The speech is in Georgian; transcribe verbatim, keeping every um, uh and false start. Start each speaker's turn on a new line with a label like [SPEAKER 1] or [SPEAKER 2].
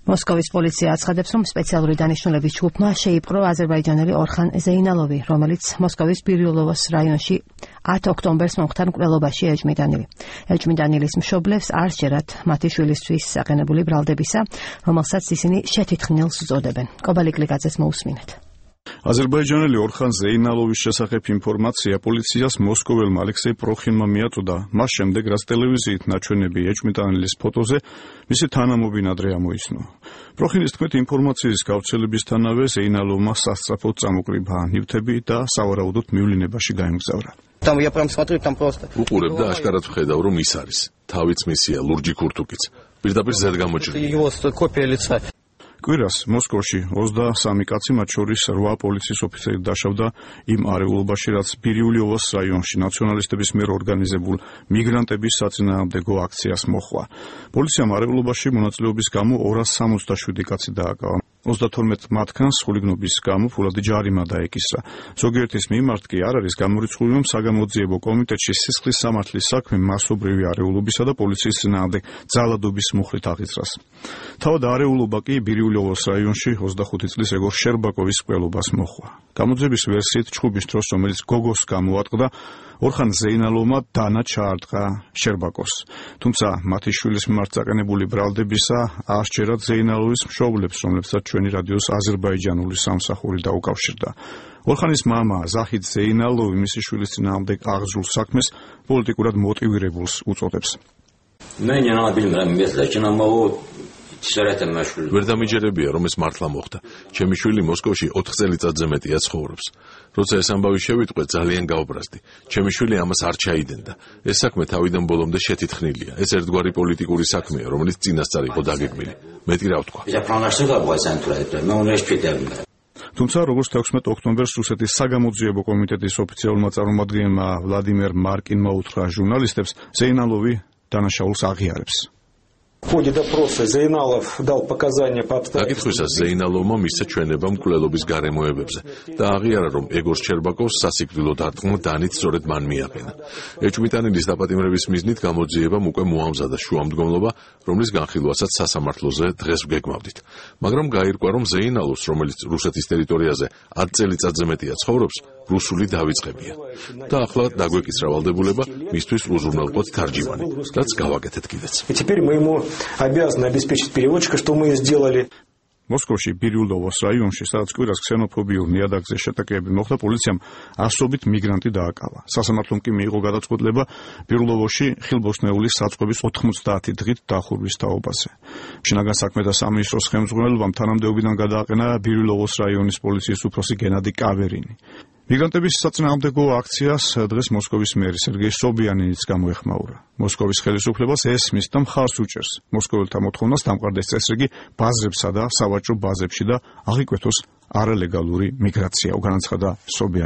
[SPEAKER 1] მოსკოვის პოლიცია აცხადებს, რომ სპეციალური დანიშნულების ჯგუფმა შეიპყრო აზერბაიჯანელი ორხან ზეინალოვი, რომელიც მოსკოვის ბირიულოვოს რაიონში ათ ოქტომბერს მომხდარ მკვლელობაში ეჯმიდანილი. ეჯმიდანილის მშობლებს არ სჯერათ მათი შვილისთვის საყენებული ბრალდებისა, რომელსაც ისინი შეთითხნილს უწოდებენ. კობალიკლიკაძეს მოусმინეთ.
[SPEAKER 2] აზერბაიჯანელი ორხან ზეინალოვის შესახებ ინფორმაცია პოლიციას მოსკოველმა ალექსეი პროხინმა მიაწოდა, მას შემდეგ რაც ტელევიზიით ნაჩვენები ეჭვმიტანილის ფოტოზე მისი თანამობინადრე ამოიცნო. პროხინის თქმით, ინფორმაციის გავრცელებისთანავე ზეინალოვმა სასწრაფოდ წამოკრიბა ნივთები და სავარაუდოდ მივლინებაში გაემგზავრა.
[SPEAKER 3] უყურებ და აშკარად ვხედავ, რომ ის არის. თავიც მისია ლურჯი ქურთუკიც. პირდაპირ ზედ გამოჭრილი. კვირას მოსკოვში ოცდასამი კაცი, მათ შორის რვა პოლიციის ოფიცერი დაშავდა იმ არეულობაში, რაც ბირიულოვოს რაიონში ნაციონალისტების მიერ ორგანიზებულ მიგრანტების საწინააღმდეგო აქციას მოჰყვა. პოლიციამ არეულობაში მონაწილეობის გამო ორას სამოცდაშვიდი კაცი დააკავა. ოცდათორმეტ მათგანს ხულიგნობის გამო ფულადი ჯარიმა დაეკისრა. ზოგიერთის მიმართ კი არ არის გამორიცხული, რომ საგამოძიებო კომიტეტში სისხლის სამართლის საქმე მასობრივი არეულობისა და პოლიციის წინააღმდეგ ძალადობის მუხლით აღიძრას. თავად არეულობა კი ბირიულოვოს რაიონში ოცდახუთი წლის ეგორ შერბაკოვის მკვლელობას მოჰყვა. გამოძიების ვერსიით, ჩხუბის დროს, რომელიც გოგოს გამოატყდა, ორხან ზეინალოვმა დანა ჩაარტყა შერბაკოს. თუმცა მათი შვილის მიმართ წაყენებული ბრალდებისა არ სჯერათ ზეინალოვის მშობლებს, რომლებსაც ჩვენი რადიოს აზერბაიჯანული სამსახური დაუკავშირდა. ორხანის მამა ზაჰიდ ზეინალოვი მისი შვილის წინააღმდეგ აღძრულ საქმეს პოლიტიკურად მოტივირებულს უწოდებს. ვერ დამიჯერებია, რომ ეს მართლა მოხდა. ჩემი შვილი მოსკოვში ოთხ წელიწადზე მეტია ცხოვრობს. როცა ეს ამბავი შევიტყვე, ძალიან გავბრაზდი. ჩემი შვილი ამას არ ჩაიდენდა. ეს საქმე თავიდან ბოლომდე შეთითხნილია. ეს ერთგვარი პოლიტიკური საქმეა, რომელიც წინასწარ იყო დაგეგმილი. მეტი რა ვთქვა.
[SPEAKER 2] თუმცა როგორც თექვსმეტ ოქტომბერს რუსეთის საგამოძიებო კომიტეტის ოფიციალურმა წარმომადგენელმა ვლადიმერ მარკინმა უთხრა ჟურნალისტებს, ზეინალოვი დანაშაულს აღიარებს.
[SPEAKER 3] დაკითხვისას ზეინალოვმა მისცა ჩვენება მკვლელობის გარემოებებზე და აღიარა, რომ ეგორ შერბაკოვს სასიკვდილო დარტყმა დანით სწორედ მან მიაყენა. ეჭვმიტანილის დაპატიმრების მიზნით გამოძიებამ უკვე მოამზადა შუამდგომლობა, რომლის განხილვასაც სასამართლოზე დღეს ვგეგმავდით. მაგრამ გაირკვა, რომ ზეინალოვს, რომელიც რუსეთის ტერიტორიაზე ათ წელიწადზე მეტია ცხოვრობს, რუსული დავიწყებია. და ახლა დაგვეკისრა ვალდებულება მისთვის უზრუნველყოთ თარჯიმანი, რაც გავაკეთეთ კიდეც.
[SPEAKER 4] обязаны обеспечить переводчика, что мы и сделали.
[SPEAKER 2] მოსკოვში ბირიულოვოს რაიონში, სადაც კვირას ქსენოფობიურ ნიადაგზე შეტაკებები მოხდა, პოლიციამ ასობით მიგრანტი დააკავა. სასამართლომ კი მიიღო გადაწყვეტილება ბირიულოვოში ხილბოსნეულის საწყობის ოთხმოცდაათი დღით დახურვის თაობაზე. შინაგან საქმეთა სამინისტროს ხელმძღვანელობამ თანამდებობიდან გადააყენა ბირიულოვოს რაიონის პოლიციის უფროსი გენადი კავერინი. მიგრანტების საწინააღმდეგო აქციას დღეს მოსკოვის მერი სერგეი სობიანინიც გამოეხმაურა. მოსკოვის ხელისუფლებას ესმის და მხარს უჭერს მოსკოველთა მოთხოვნას დამყარდეს წესრიგი ბაზრებსა და სავაჭრო ბაზებში და აღიკვეთოს არალეგალური მიგრაცია, განაცხადა სობიანინი.